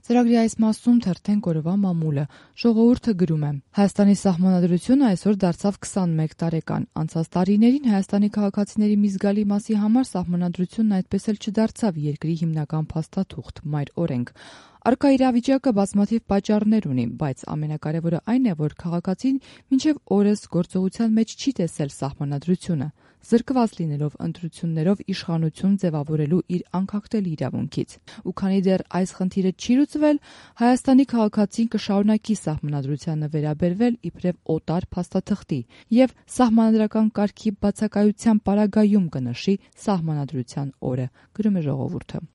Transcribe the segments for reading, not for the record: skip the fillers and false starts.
Ծրագրի այս մասում թերթենք օրվա մամուլը։ Ժողովուրդը գրում է. Հայաստանի սահմանադրությունը այսօր դարձավ 21 տարեկան։ Անցած տարիներին Հայաստանի քաղաքացիների մի զգալի մասի համար սահմանադրությունն այդպես էլ չդարձավ երկրի հիմնական փաստաթուղթ՝ մայր օրենք։ Առկա իրավիճակը բազմաթիվ պատճառներ ունի, բայց ամենակարևորը այն է, որ քաղաքացին մինչև օրս գործողության մեջ չի տեսել սահմանադրությունը, զրկված լինելով ընտրություններով իշխանություն ձևավորելու իր անկախտելի իրավունքից։ Ու քանի դեռ այս խնդիրը չի լուծվել, Հայաստանի քաղաքացին կշարունակի սահմանադրությանը վերաբերվել իբրև օտար փաստաթղթի և սահմանադրական կարգի բացակայության պարագայում կնշի սահմանադրության օրը, գրում է Ժողովուրդը։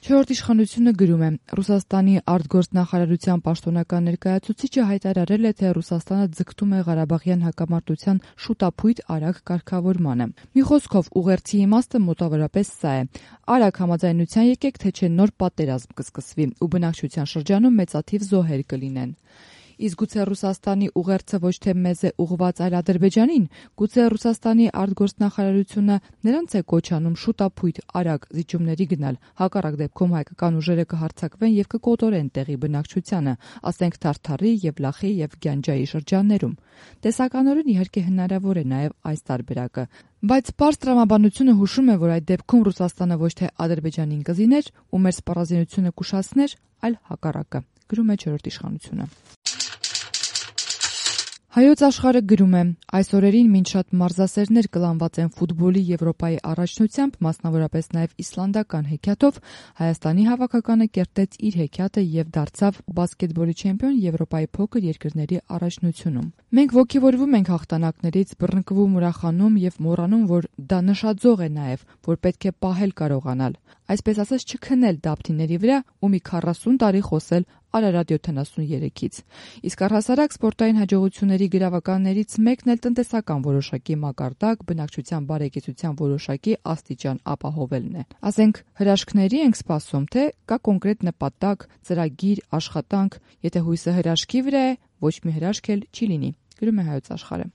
Չորրորդ իշխանությունը գրում է. Ռուսաստանի արտգործնախարարության պաշտոնական ներկայացուցիչը հայտարարել է, թե Ռուսաստանը ձգտում է Ղարաբաղյան հակամարտության շուտափույթ արագ կարգավորմանը։ Մի խոսքով, ուղերձի իմաստը մոտավորապես սա է. արագ համաձայնության եկեք, թե չէ նոր պատերազմ կսկսվի ու բնակչության շրջանում մեծաթիվ զոհեր կլինեն։ Իսկ գուցե Ռուսաստանի ուղերձը ոչ թե մեզ է ուղղված, այլ Ադրբեջանին, գուցե Ռուսաստանի արտգործնախարարությունը նրանց է կոչ անում շուտափույթ արագ զիջումների գնալ, հակառակ դեպքում հայկական ուժերը կհարձակվեն եւ կկոտորեն տեղի բնակչությանը, ասենք Թարթարի եւ Լախի եւ Գյանջայի շրջաններում։ Տեսականորեն իհարկե հնարավոր է նաեւ այս տարբերակը, բայց պարզ տրամաբանությունը հուշում է, որ այդ դեպքում Ռուսաստանը ոչ թե Ադրբեջանին կզիներ ու մեր սպառազինությունը կուշացներ, այլ հակառակը, գրում է չորրորդ իշխանությունը։ Հայոց աշխարհը գրում է. այս օրերին մինչ շատ մարզասերներ կլանված են ֆուտբոլի Եվրոպայի առաջնությամբ, մասնավորապես նաև իսլանդական հեքիաթով, Հայաստանի հավաքականը կերտեց իր հեքիաթը եւ դարձավ բասկետբոլի չեմպիոն Եվրոպայի փոքր երկրների առաջնությունում։ Մենք ոգևորվում ենք հաղթանակներից, բռնկվում, ուրախանում եւ մոռանում, որ դա նշաձող է նաեւ, որ պետք է պահել կարողանալ, այսպես ասած չքնել դափթիների վրա ու մի 40 տարի խոսել Արարատ 73-ից։ Իսկ առհասարակ սպորտային հաջողությունների գրավականներից մեկն էլ տնտեսական որոշակի մակարդակ, բնակչության բարեկեցության որոշակի աստիճան ապահովելն է։ Ասենք հրաշքների ենք սպասում, թե կա կոնկրետ նպատակ, ծրագիր, աշխատանք, եթե հույսը հրաշքի վրա է, ոչ մի հրաշք էլ չի լինի, գրում է Հայոց աշխարհը։